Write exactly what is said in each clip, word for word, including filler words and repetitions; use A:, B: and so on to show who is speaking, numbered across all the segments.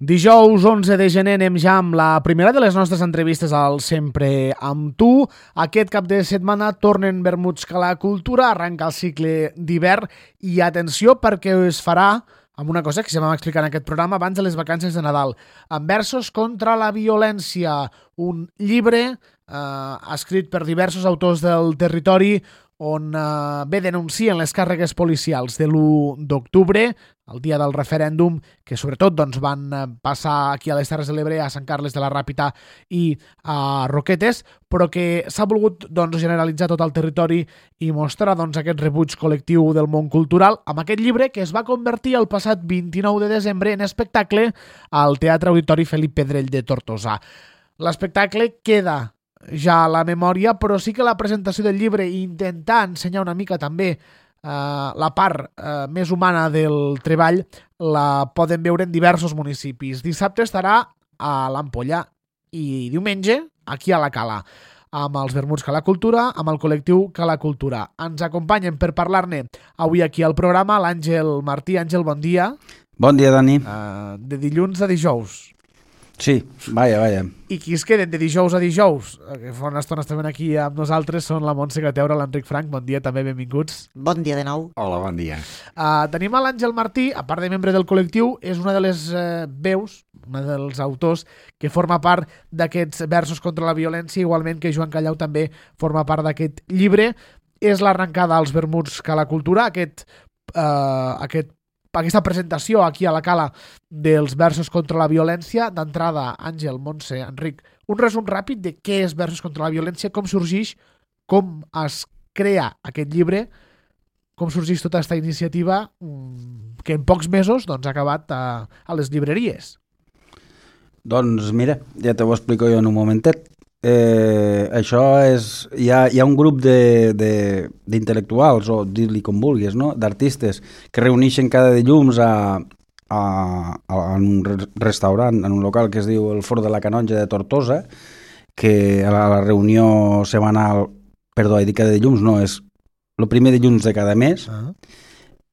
A: Dijous onze de gener anem ja amb la primera de les nostres entrevistes al Sempre amb tu. Aquest cap de setmana tornen vermuts que la cultura, arranca el cicle d'hivern i atenció perquè es farà amb una cosa que ja vam explicar en aquest programa abans de les vacances de Nadal, amb versos contra la violència, un llibre eh, escrit per diversos autors del territori on eh, bé denuncien les càrregues policials de l'u d'octubre, el dia del referèndum, que sobretot doncs, van passar aquí a les Terres de l'Ebre, a Sant Carles de la Ràpita i a Roquetes, però que s'ha volgut doncs, generalitzar tot el territori i mostrar doncs, aquest rebuig col·lectiu del món cultural amb aquest llibre que es va convertir el passat vint-i-nou de desembre en espectacle al Teatre Auditori Felip Pedrell de Tortosa. L'espectacle queda ja a la memòria, però sí que la presentació del llibre i intentar ensenyar una mica també Uh, la part uh, més humana del treball la poden veure en diversos municipis. Dissabte estarà a l'Ampolla i diumenge aquí a la Cala amb els vermuts Cala Cultura, amb el col·lectiu Cala Cultura. Ens acompanyen per parlar-ne avui aquí al programa l'Àngel Martí. Àngel, bon dia.
B: Bon dia, Dani.
A: Uh, de dilluns a dijous.
B: Sí, vaja, vaja.
A: I qui es queden de dijous a dijous, que fa una estona estaven aquí amb nosaltres, són la Montse Gateura, l'Enric Frank. Bon dia, també benvinguts.
C: Bon dia de nou.
D: Hola, bon dia.
A: Uh, tenim a l'Àngel Martí, a part de membre del col·lectiu, és una de les uh, veus, una dels autors que forma part d'aquests versos contra la violència, igualment que Joan Callau també forma part d'aquest llibre. És l'arrencada als vermuts Cala Cultura, aquest, uh, aquest aquesta presentació aquí a la Cala dels versos contra la violència. D'entrada, Àngel, Montse, Enric, un resum ràpid de què és versos contra la violència, com sorgeix, com es crea aquest llibre, com sorgeix tota aquesta iniciativa que en pocs mesos doncs, ha acabat a, a les llibreries.
B: Doncs mira, ja te ho explico jo en un momentet. Eh, això és... Hi ha, hi ha un grup d'intel·lectuals, o dir-li com vulguis, no? D'artistes, que reuneixen cada dilluns a, a, a, en un restaurant, en un local que es diu el Fort de la Canonja de Tortosa, que a la, a la reunió setmanal, perdó, he dit cada dilluns, no, és el primer dilluns de cada mes, uh-huh.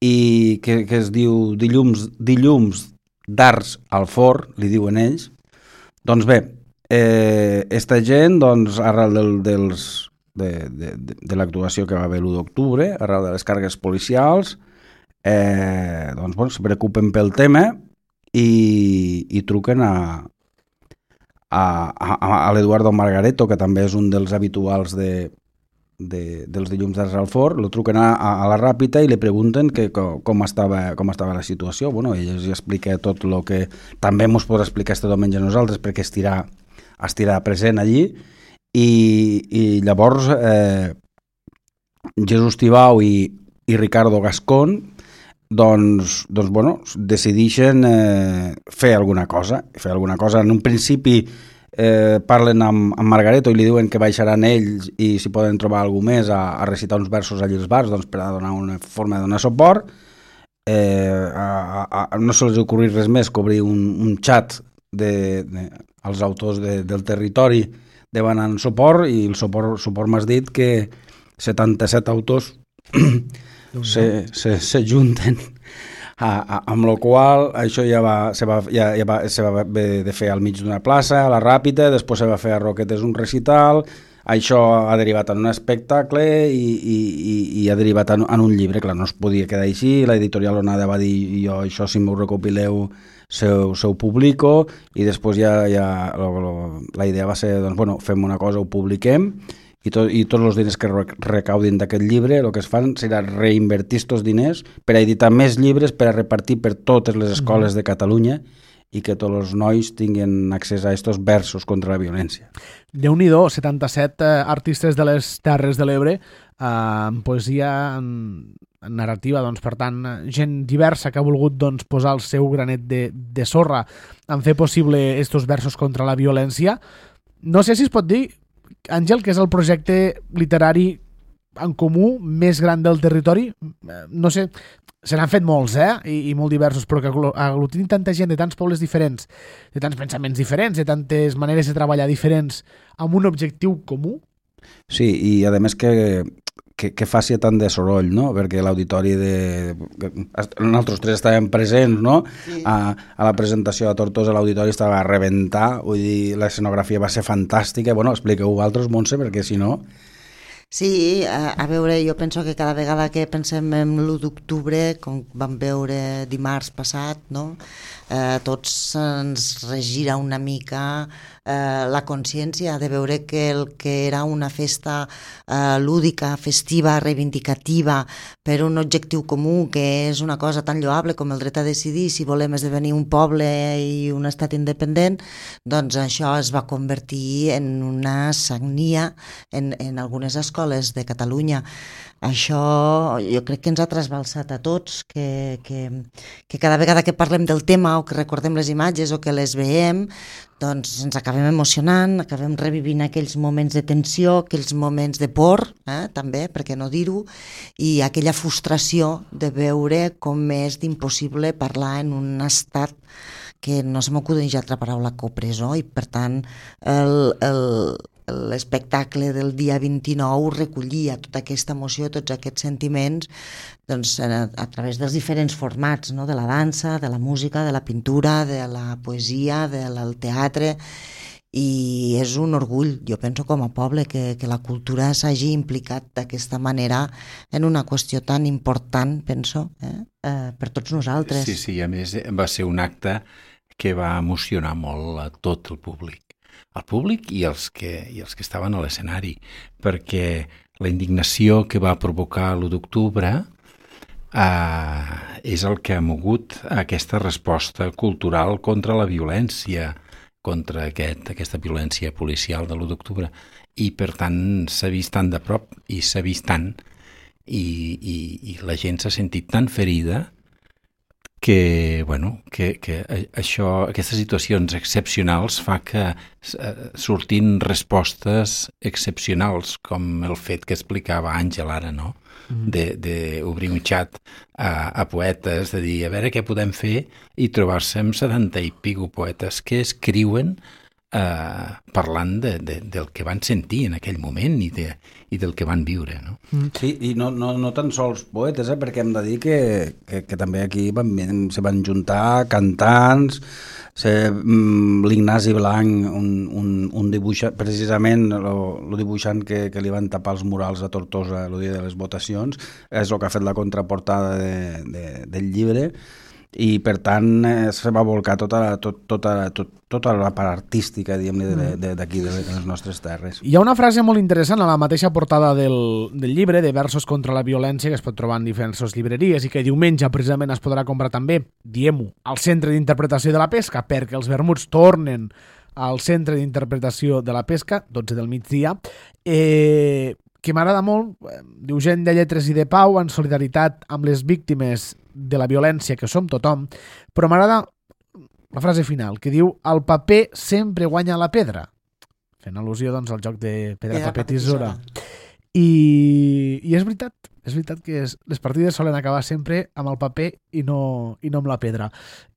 B: i que, que es diu dilluns, dilluns d'Arts al Fort, li diuen ells. Doncs bé, Eh, esta gent, doncs, arrel del, dels, de, de, de, de l'actuació que va haver l'u d'octubre, arrel de les càrregues policials, eh, doncs, bueno, se preocupen pel tema i, i truquen a, a, a, a l'Eduardo Margareto, que també és un dels habituals de, de, dels dilluns d'Arts al Fort. Lo truquen a, a la Ràpita i li pregunten que, com, com, estava, com estava la situació. Bueno, ell els explica tot el que també ens podrà explicar este diumenge a nosaltres, perquè estirà estirà present allí, i, i llavors eh, Jesús Tibau i, i Ricardo Gascón doncs, doncs bueno, decideixen eh, fer alguna cosa, fer alguna cosa. En un principi eh, parlen amb, amb Margareto i li diuen que baixaran ells i si poden trobar algú més a, a recitar uns versos allí als bars, doncs, per a donar una forma de donar suport. Eh, a, a, a, no se els ocorrir res més que obrir un, un xat de, de els autors de, del territori demanen suport, i el suport, suport m'has dit que setanta-set autors se, se, se junten a, a, amb la qual això ja va, se va, ja, ja va, se va haver de fer al mig d'una plaça, a la Ràpita, després se va fer a Roquetes un recital. Això ha derivat en un espectacle i, i, i, i ha derivat en, en un llibre. Clar, no es podia quedar així, l'editorial Onada va dir jo això si m'ho recopileu se ho publico, i després ja, ja lo, lo, la idea va ser, doncs, bueno, fem una cosa, ho publiquem, i, to, i tots els diners que recaudin d'aquest llibre, el que es fan serà reinvertir aquests diners per a editar més llibres, per a repartir per totes les escoles de Catalunya, i que tots els nois tinguin accés a aquests versos contra la violència.
A: Déu-n'hi-do, setanta-set eh, artistes de les Terres de l'Ebre, eh, en poesia, en, en narrativa, doncs, per tant, gent diversa que ha volgut doncs, posar el seu granet de, de sorra en fer possible estos versos contra la violència. No sé si es pot dir, Àngel, que és el projecte literari en comú més gran del territori. No sé, se n'han fet molts, eh? I, i molt diversos, però que aglutinin tanta gent de tants pobles diferents, de tants pensaments diferents, de tantes maneres de treballar diferents, amb un objectiu comú.
B: Sí, i a més que, que, que faci tant de soroll, no? Perquè l'auditori de... Nosaltres tres estàvem presents, no? Sí. A, a la presentació de Tortosa l'auditori estava a rebentar, vull dir, l'escenografia va ser fantàstica. Bueno, expliqueu vosaltres, Montse, perquè si no...
C: Sí, a, a veure, jo penso que cada vegada que pensem en l'u d'octubre, com vam veure dimarts passat, no? eh, tots ens regira una mica eh, la consciència de veure que el que era una festa eh, lúdica, festiva, reivindicativa, per un objectiu comú, que és una cosa tan lloable com el dret a decidir si volem esdevenir un poble i un estat independent, doncs això es va convertir en una sagnia en, en algunes escoles de Catalunya. Això jo crec que ens ha trasbalsat a tots, que, que, que cada vegada que parlem del tema o que recordem les imatges o que les veiem, doncs ens acabem emocionant, acabem revivint aquells moments de tensió, aquells moments de por, eh, també, per què no dir-ho, i aquella frustració de veure com és d'impossible parlar en un estat que no se m'acudeix altra paraula que opressor, i per tant el... el l'espectacle del dia vint-i-nou recollia tota aquesta emoció, tots aquests sentiments, doncs, a, a través dels diferents formats, no? De la dansa, de la música, de la pintura, de la poesia, del teatre, i és un orgull, jo penso, com a poble, que, que la cultura s'hagi implicat d'aquesta manera en una qüestió tan important, penso, eh? Eh, per tots nosaltres.
D: Sí, sí, a més va ser un acte que va emocionar molt a tot el públic. Al públic i els que, i els que estaven a l'escenari, perquè la indignació que va provocar l'u d'octubre eh, és el que ha mogut aquesta resposta cultural contra la violència, contra aquest, aquesta violència policial de l'u d'octubre, i per tant s'ha vist tan de prop i s'ha vist tant, i, i, i la gent s'ha sentit tan ferida que, bueno, que, que això, aquestes situacions excepcionals fa que uh, surtin respostes excepcionals, com el fet que explicava Àngel ara, no? Mm. D'obrir un xat a, a poetes, de dir, a veure què podem fer, i trobar-se amb setanta i pico poetes que escriuen eh, parlant de, de, del que van sentir en aquell moment i, de, i del que van viure, no?
B: Sí, i no, no, no tan sols poetes, eh, perquè hem de dir que, que, que també aquí van, se van juntar cantants, mm, l'Ignasi Blanc, un, un, un dibuixant, precisament el dibuixant que, que li van tapar els murals a Tortosa el dia de les votacions, és el que ha fet la contraportada de, de, del llibre, i per tant eh, se va volcar tota, tot, tota, tot, tota la part artística, diguem-ne, d'aquí, de, de, de les nostres terres.
A: Hi ha una frase molt interessant a la mateixa portada del, del llibre, de Versos contra la violència, que es pot trobar en diferents llibreries i que diumenge precisament es podrà comprar també, diem-ho, al Centre d'Interpretació de la Pesca, perquè els vermuts tornen al Centre d'Interpretació de la Pesca, dotze del migdia, eh, que m'agrada molt, diu gent de lletres i de pau en solidaritat amb les víctimes de la violència que som tothom, però m'agrada la frase final, que diu el paper sempre guanya la pedra, fent al·lusió doncs al joc de pedra, pedra paper, tisora. I, i és veritat, és veritat que és, les partides solen acabar sempre amb el paper i no, i no amb la pedra.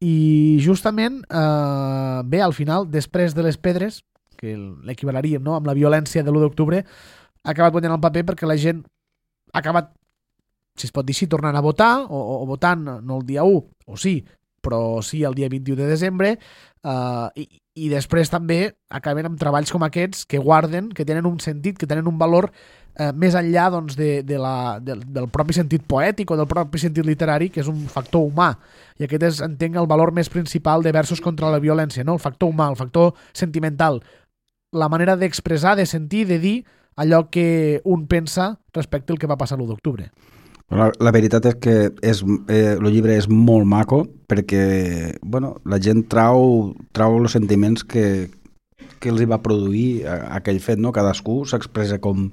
A: I justament, eh, bé, al final, després de les pedres, que l'equivalaríem, no?, amb la violència de l'u d'octubre, ha acabat guanyant el paper perquè la gent ha acabat, si es pot dir així, tornant a votar, o, o votant no el dia u, o sí, però sí el dia vint-i-u de desembre, eh, i, i després també acaben amb treballs com aquests que guarden, que tenen un sentit, que tenen un valor eh, més enllà doncs, de, de la, de, del propi sentit poètic o del propi sentit literari, que és un factor humà. I aquest és, entenc, el valor més principal de Versos contra la violència, no? El factor humà, el factor sentimental, la manera d'expressar, de sentir, de dir allò que un pensa respecte al que va passar l'u d'octubre.
B: La, la veritat és que és, eh, el llibre és molt maco perquè bueno, la gent trau, trau els sentiments que, que els hi va produir aquell fet, no? Cadascú s'expressa com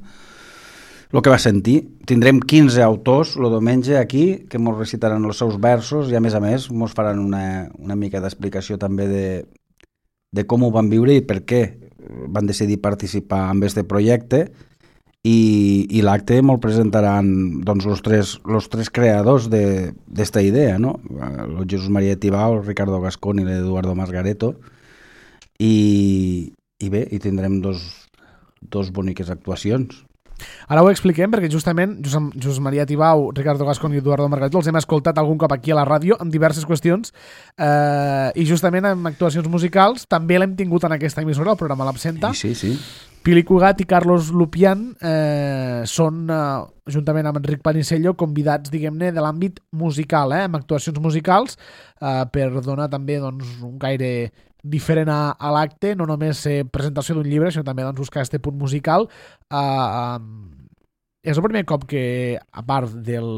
B: el que va sentir. Tindrem quinze autors el diumenge aquí que ens recitaran els seus versos i a més a més ens faran una, una mica d'explicació també de, de com ho van viure i per què van decidir participar en aquest projecte. I, i l'acte me'l presentaran doncs, els, tres, els tres creadors d'esta idea, no? El Jesús María Tibau, el Ricardo Gascón i l'Eduardo Masgareto, i, i bé, i tindrem dos, dos boniques actuacions.
A: Ara ho expliquem perquè justament Josep, Josep Maria Tibau, Ricardo Gascón i Eduardo Margarito els hem escoltat algun cop aquí a la ràdio amb diverses qüestions eh, i justament amb actuacions musicals també l'hem tingut en aquesta emissora, el programa L'Absenta.
B: Sí, sí, sí.
A: Pili Cugat i Carlos Lupian eh, són, eh, juntament amb Enric Panicello, convidats, diguem-ne, de l'àmbit musical, eh, amb actuacions musicals, eh, per donar també doncs, un gaire diferent a, a l'acte, no només eh, presentació d'un llibre, sinó també doncs, buscar aquest punt musical. Eh, eh, és el primer cop que, a part del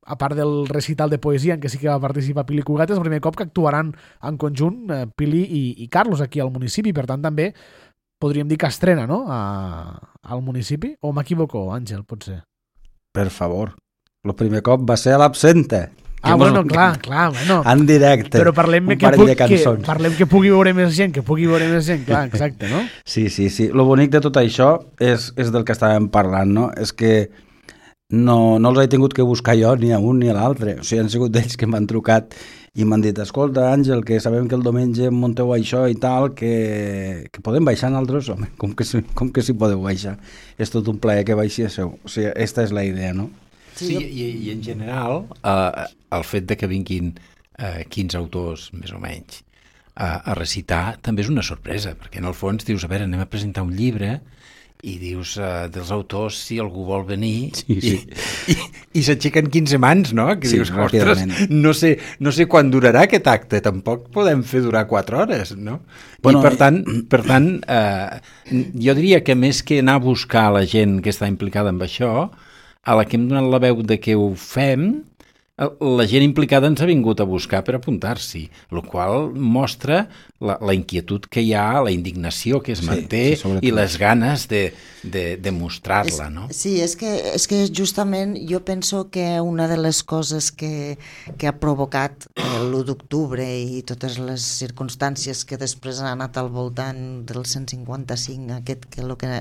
A: a part del recital de poesia en què sí que va participar Pili Cugat, és el primer cop que actuaran en conjunt eh, Pili i, i Carlos aquí al municipi, per tant també podríem dir que estrena, no?, a, al municipi, o m'equivoco, Àngel, potser?
B: Per favor. El primer cop va ser a l'Absenta.
A: Ah, bueno, clar, clar, bueno.
B: En directe.
A: Però parlem
B: un
A: que,
B: parell
A: pu
B: de cançons.
A: que, parlem que pugui veure més gent, que pugui veure més gent, clar, exacte, no?
B: Sí, sí, sí. Lo bonic de tot això és, és del que estàvem parlant, no? És que no, no els he tingut que buscar jo ni a un ni a l'altre. O sigui, han sigut ells que m'han trucat i m'han dit, escolta, Àngel, que sabem que el diumenge munteu això i tal, que, que podem baixar nosaltres? Home, com que, si, com que si podeu baixar? És tot un plaer que baixéssiu. O sigui, aquesta és la idea, no?
D: Sí, i, i en general eh, el fet de que vinguin eh, quinze autors, més o menys, a, a recitar també és una sorpresa, perquè en el fons dius, a veure, anem a presentar un llibre i dius eh, dels autors si algú vol venir
B: sí, sí.
D: i, i, i s'aixequen quinze mans, no? Que
B: sí,
D: dius, ostres, no sé, no sé quan durarà aquest acte, tampoc podem fer durar quatre hores, no? Bueno, I per tant, per tant eh, jo diria que més que anar a buscar la gent que està implicada en això, a la que hem donat la veu de que ho fem, la gent implicada ens ha vingut a buscar per apuntar-s'hi, el qual mostra la, la inquietud que hi ha, la indignació que es manté sí, sí, i les ganes de, de, de mostrar-la, no?
C: Sí, és que, és que justament jo penso que una de les coses que, que ha provocat l'u d'octubre i totes les circumstàncies que després han anat al voltant del cent cinquanta-cinc, aquest que el que...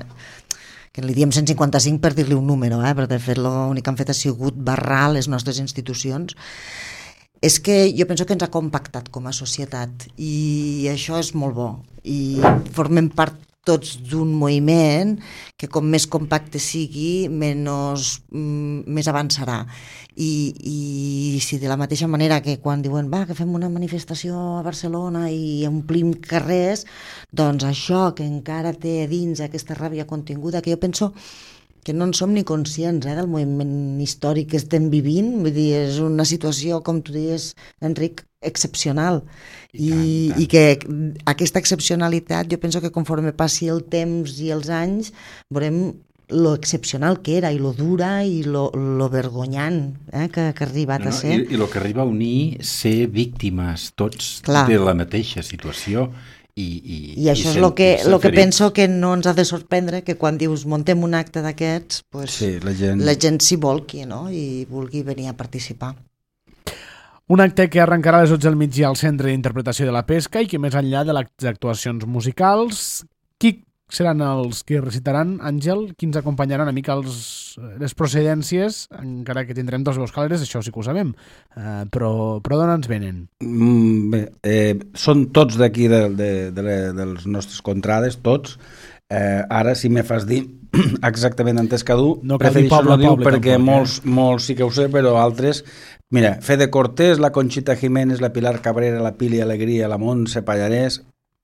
C: que li diem cent cinquanta-cinc per dir-li un número, eh? Perquè de fet l'únic que han fet ha sigut barrar les nostres institucions, és que jo penso que ens ha compactat com a societat i això és molt bo i formem part tots d'un moviment que com més compacte sigui menys, mm, més avançarà I, i si de la mateixa manera que quan diuen va que fem una manifestació a Barcelona i omplim carrers, doncs això que encara té dins aquesta ràbia continguda, que jo penso que no en som ni conscients eh, del moviment històric que estem vivint, vull dir, és una situació, com tu dius, Enric, excepcional i, I, tant, tant. I que aquesta excepcionalitat jo penso que conforme passi el temps i els anys veurem lo excepcional que era i lo dura i lo, lo vergonyant eh, que, que ha arribat
D: no, no,
C: a ser.
D: I, I lo que arriba a unir ser víctimes tots Clar. de la mateixa situació. I, i,
C: I això i és el que, lo que penso que no ens ha de sorprendre, que quan dius muntem un acte d'aquests, pues,
B: sí, la gent,
C: la gent s'hi volqui, no? I vulgui venir a participar.
A: Un acte que arrencarà a les dotze del migdia al Centre d'Interpretació de la Pesca i que més enllà de les actuacions musicals, qui seran els que recitaran, Àngel? Qui ens acompanyaran una mica els, les procedències, encara que tindrem dos veus càlides, això sí que ho sabem, uh, però, però d'on ens venen?
B: Mm, bé, eh, són tots d'aquí de, de, de, de, dels nostres contrades, tots. Eh, ara, si me fas dir exactament entès cadú,
A: no
B: prefereixo no dir perquè
A: tampoc,
B: molts, eh? molts sí que ho sé, però altres... Mira, Fede Cortés, la Conxita Jiménez, la Pilar Cabrera, la Pili Alegria, la Montse Pallarès,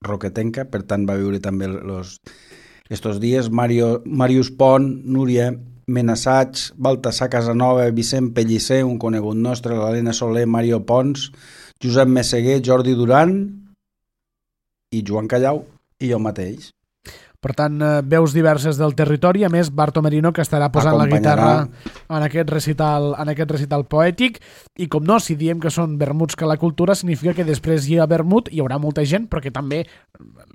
B: Roquetenca, per tant va viure també los, estos dies, Mario, Marius Pont, Núria Menassats, Baltasar Casanova, Vicent Pellicer, un conegut nostre, l'Helena Soler, Mario Pons, Josep Messeguer, Jordi Duran i Joan Callau i jo mateix.
A: Per tant, veus diverses del territori, a més Barto Merino, que estarà posant la guitarra en aquest recital, en aquest recital poètic, i com no, si diem que són vermuts que la cultura, significa que després hi ha vermut, hi haurà molta gent, perquè també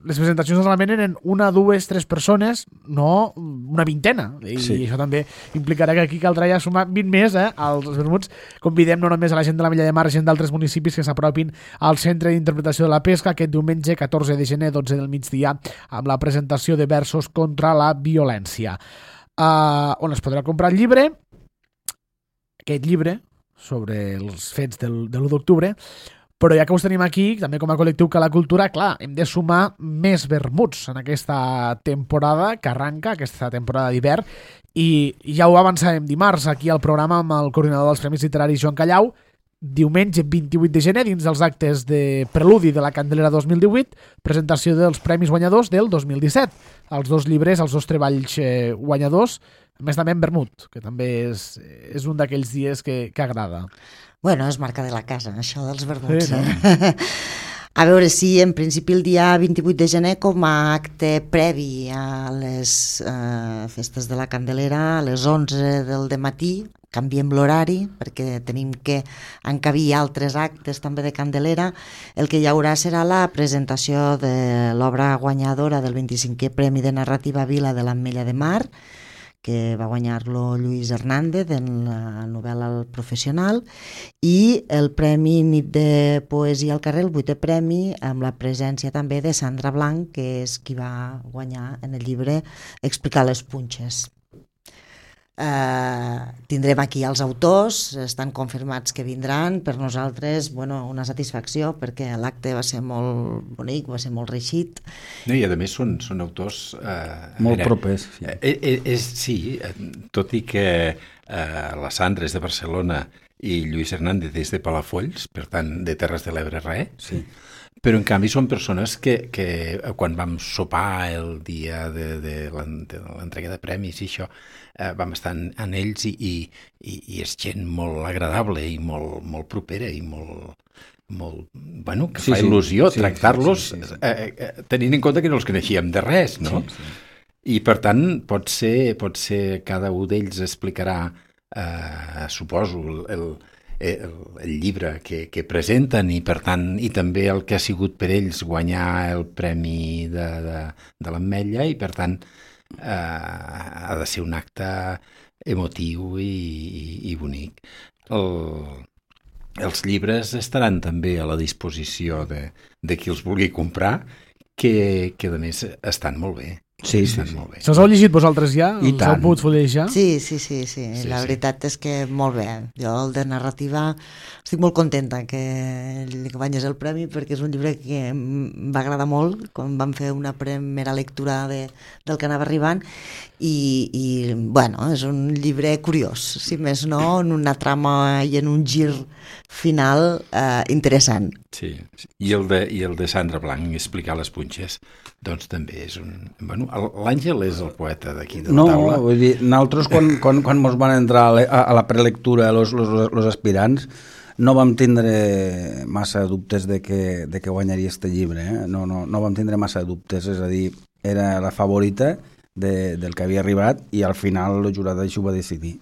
A: les presentacions normalment eren una, dues, tres persones, no una vintena, i sí. això també implicarà que aquí caldrà ja sumar vint més eh, als vermuts. Convidem no només a la gent de la Mella de Mar, gent d'altres municipis que s'apropin al Centre d'Interpretació de la Pesca aquest diumenge catorze de gener, dotze del migdia, amb la presentació de versos contra la violència. Uh, on es podrà comprar el llibre, aquest llibre sobre els fets del, de l'u d'octubre, Però ja que us tenim aquí, també com a col·lectiu Cala Cultura, clar, hem de sumar més vermuts en aquesta temporada que arranca, aquesta temporada d'hivern, i ja ho avançàvem dimarts aquí al programa amb el coordinador dels Premis Literaris, Joan Callau. Diumenge vint-i-vuit de gener, dins dels actes de preludi de la Candelera dos mil divuit, presentació dels premis guanyadors del dos mil disset. Els dos llibres, els dos treballs eh, guanyadors, a més també en vermut, que també és, és un d'aquells dies que, que agrada.
C: Bueno, és marca de la casa, això dels vermuts.
A: Sí, no?
C: Eh? A veure, sí, en principi el dia vint-i-vuit de gener com a acte previ a les eh, festes de la Candelera, a les onze del dematí, canviem l'horari perquè tenim que encabir altres actes també de Candelera. El que hi haurà serà la presentació de l'obra guanyadora del vint-i-cinquè Premi de Narrativa Vila de l'Ametlla de Mar, que va guanyar-lo Lluís Hernández en la novel·la El Professional, i el Premi Nit de Poesia al Carrer, el vuitè premi, amb la presència també de Sandra Blanc, que és qui va guanyar en el llibre Explicar les punxes. Uh, tindrem aquí els autors, estan confirmats que vindran. Per nosaltres, bueno, una satisfacció, perquè l'acte va ser molt bonic, va ser molt reeixit.
D: No, i a més són, són autors eh,
B: molt
D: era,
B: propers. Sí.
D: Eh, eh, és, sí, tot i que eh, la Sandra és de Barcelona i Lluís Hernández és de Palafolls, per tant de Terres de l'Ebre res,
B: sí.
D: Però en canvi són persones que, que quan vam sopar el dia de, de l'entrega de premis i això, eh, vam estar en, en ells i, i, i és gent molt agradable i molt, molt propera i molt, molt, bueno, que
B: sí,
D: fa
B: sí.
D: il·lusió
B: sí,
D: tractar-los
B: sí, sí, sí.
D: Eh, eh, tenint en compte que no els coneixíem de res, no?
B: Sí, sí.
D: I per tant pot ser, pot ser cada un d'ells explicarà, eh, suposo, el, el El, el llibre que, que presenten i per tant i també el que ha sigut per ells guanyar el premi de, de, de l'Ametlla i per tant eh, ha de ser un acte emotiu i, i, i bonic. El, els llibres estaran també a la disposició de, de qui els vulgui comprar, que, que a més estan molt bé.
B: Sí, sí,
D: estan
B: sí.
D: molt bé.
A: Se'ls heu llegit vosaltres ja?
B: I
A: Els
B: tant.
A: heu pogut fullejar?
C: Sí, sí, sí, sí.
D: Sí,
C: la
D: sí.
C: veritat és que molt bé. Jo, el de narrativa, estic molt contenta que li guanyés el premi perquè és un llibre que em va agradar molt quan vam fer una primera lectura de, del que anava arribant i, i, bueno, és un llibre curiós, si més no, en una trama i en un gir final eh, interessant.
D: Sí, sí. I el de, i el de Sandra Blanc, Explicar les punxes, doncs també és un... Bueno, l'Àngel és el poeta d'aquí de la
B: no,
D: taula.
B: No, vull dir, nosaltres quan, quan, quan mos van entrar a, a, a la prelectura los, los, los aspirants no vam tindre massa dubtes de que, de que guanyaria este llibre, eh? no, no, no vam tindre massa dubtes, és a dir, era la favorita de, del que havia arribat i al final el jurat això ho va decidir.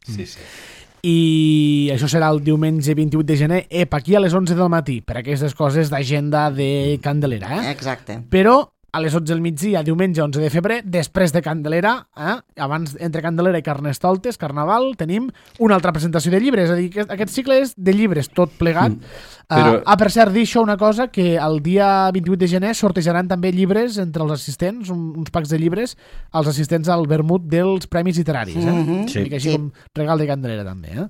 D: Sí, sí.
A: I això serà el diumenge vint-i-vuit de gener, ep, aquí a les onze del matí, per aquestes coses d'agenda de Candelera, eh?
C: Exacte.
A: Però a les onze del migdia, diumenge onze de febrer, després de Candelera, eh? Abans entre Candelera i Carnestoltes, Carnaval, tenim una altra presentació de llibres, és a dir, que aquest cicle és de llibres, tot plegat. Mm. Però... Uh, ah, per cert, dir això una cosa, que el dia vint-i-vuit de gener sortejaran també llibres entre els assistents, un, uns packs de llibres, als assistents al vermut dels Premis Literaris. Eh?
C: Mm-hmm.
A: Sí. I així
C: Sí.
A: com regal de Candelera també. Eh?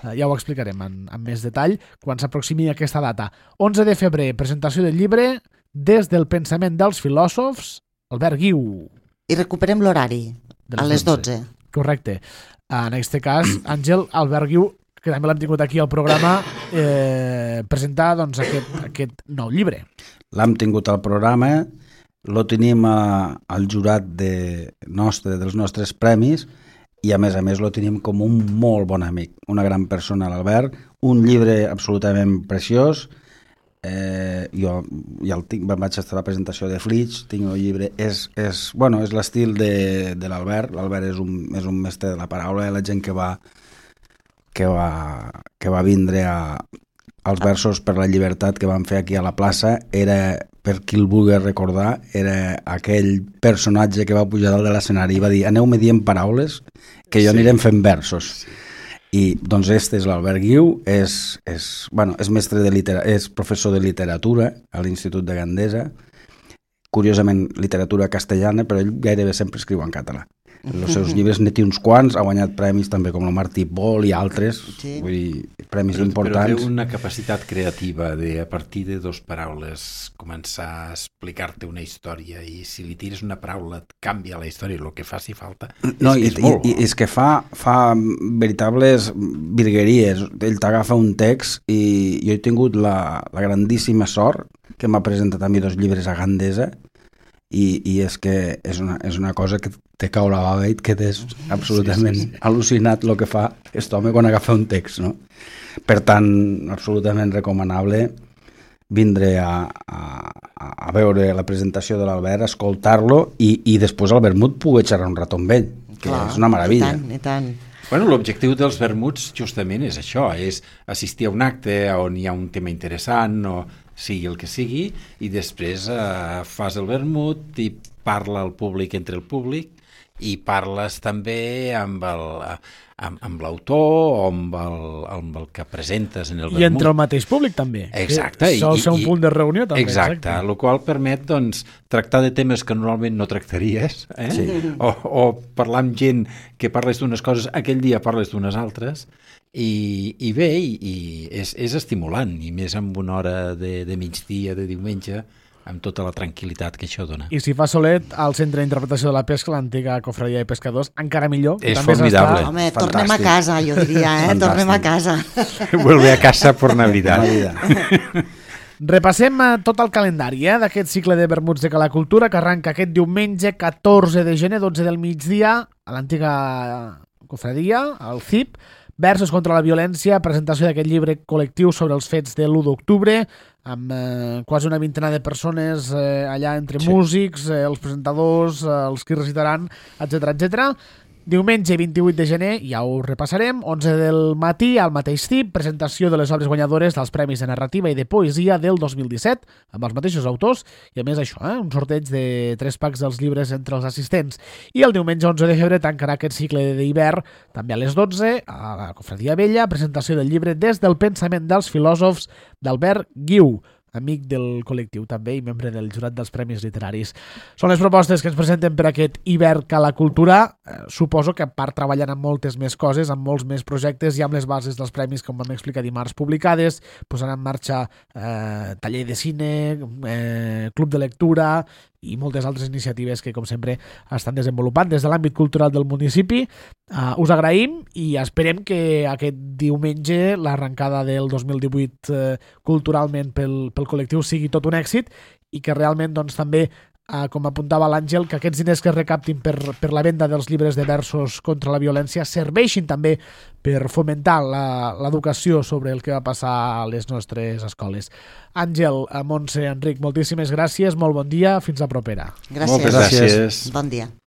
A: Uh, ja ho explicarem en, en més detall quan s'aproximi aquesta data. onze de febrer, presentació del llibre Des del pensament dels filòsofs, Albert Guiu.
C: I recuperem l'horari, a les dotze.
A: Correcte. En aquest cas, Àngel, Albert Guiu, que també l'hem tingut aquí al programa, eh, presentar doncs, aquest, aquest nou llibre.
B: L'hem tingut al programa, lo tenim a, al jurat de nostre, dels nostres premis i a més a més lo tenim com un molt bon amic, una gran persona, l'Albert, un llibre absolutament preciós. Eh, jo ja el tinc, vaig estar a la presentació de Flitch, tinc el llibre, és, és, bueno, és l'estil de, de l'Albert. L'Albert és un, és un mestre de la paraula, la gent que va que va, que va vindre a, als versos per la llibertat que van fer aquí a la plaça, era, per qui el vulgui recordar, era aquell personatge que va pujar dalt de l'escenari i va dir, aneu-me dient paraules que jo sí. anirem fent versos. Sí. I doncs este és l'Albert Guiu, és, és, bueno, és mestre de litera, és professor de literatura a l'Institut de Gandesa, curiosament literatura castellana, però ell gairebé sempre escriu en català. els seus llibres n'hi té uns quants, ha guanyat premis també com el Martí Pol i altres,
C: Sí.
B: vull dir, premis
D: Però, però
B: importants.
D: té una capacitat creativa de, a partir de dos paraules, començar a explicar-te una història, i si li tires una paraula et canvia la història, el que faci falta.
B: No,
D: és,
B: i,
D: és molt
B: i, i és que fa, fa veritables virgueries. Ell t'agafa un text i jo he tingut la, la grandíssima sort que m'ha presentat a mi dos llibres a Gandesa i, i és que és una, és una cosa que te cau la bava i et quedes absolutament sí, sí, sí. al·lucinat el que fa aquest home quan agafa un text, no? Per tant, absolutament recomanable vindre a, a, a veure la presentació de l'Albert, escoltar-lo i, i després al vermut poder xerrar un rato amb ell, que
C: Clar,
B: és una meravella.
C: I tant, i tant.
D: Bueno, l'objectiu dels vermuts justament és això, és assistir a un acte on hi ha un tema interessant o sigui el que sigui, i després eh, fas el vermut i parla al públic entre el públic i parles també amb el, amb, amb l'autor o amb el, amb el que presentes en el vermut.
A: I entre el mateix públic també.
D: Exacte.
A: Que sol ser un punt de reunió també.
D: Exacte,
A: exacte.
D: el qual permet doncs, tractar de temes que normalment no tractaries, eh?
B: Sí.
D: o, o parlar amb gent que parles d'unes coses, aquell dia parles d'unes altres, i, i bé, i, i és, és estimulant, i més amb una hora de, de migdia, de diumenge, amb tota la tranquil·litat que això dona.
A: I si fa solet al centre d'interpretació de la pesca, l'antiga cofradia de pescadors, encara millor.
D: És
A: També
D: formidable.
A: s'està-
C: Home,
B: Fantàstic.
C: tornem a casa, jo diria, eh?
B: Fantàstic.
C: Tornem a casa.
D: Vuelve a casa por Navidad.
B: Navidad.
A: Repassem eh, tot el calendari eh, d'aquest cicle de vermuts de Cala Cultura que arranca aquest diumenge catorze de gener, dotze del migdia, a l'antiga cofradia, al C I P, Versos contra la violència, presentació d'aquest llibre col·lectiu sobre els fets de l'u d'octubre, amb eh, quasi una vintena de persones eh, allà entre
D: Sí.
A: músics, eh, els presentadors, eh, els que recitaran, etcètera, etcètera. Diumenge vint-i-vuit de gener, ja ho repassarem, onze del matí, al mateix C I P, presentació de les obres guanyadores dels Premis de Narrativa i de Poesia del dos mil disset, amb els mateixos autors, i a més això, eh, un sorteig de tres packs dels llibres entre els assistents. I el diumenge onze de febrer tancarà aquest cicle d'hivern, també a les dotze, a la Cofradia Vella, presentació del llibre Des del pensament dels filòsofs d'Albert Guiu, amic del col·lectiu també i membre del jurat dels Premis Literaris. Són les propostes que ens presenten per aquest hivern Cala Cultura. Eh, suposo que a part treballant amb moltes més coses, amb molts més projectes i amb les bases dels premis, com vam explicar dimarts, publicades, posant en marxa eh, taller de cine, eh, club de lectura i moltes altres iniciatives que, com sempre, estan desenvolupant des de l'àmbit cultural del municipi. Uh, us agraïm i esperem que aquest diumenge l'arrencada del dos mil divuit uh, culturalment pel, pel col·lectiu sigui tot un èxit i que realment doncs, també, uh, com apuntava l'Àngel, que aquests diners que es recaptin per, per la venda dels llibres de versos contra la violència serveixin també per fomentar la- l'educació sobre el que va passar a les nostres escoles. Àngel, Montse, Enric, moltíssimes gràcies, molt bon dia, fins la propera.
C: Gràcies.
D: Moltes gràcies.
C: Bon dia.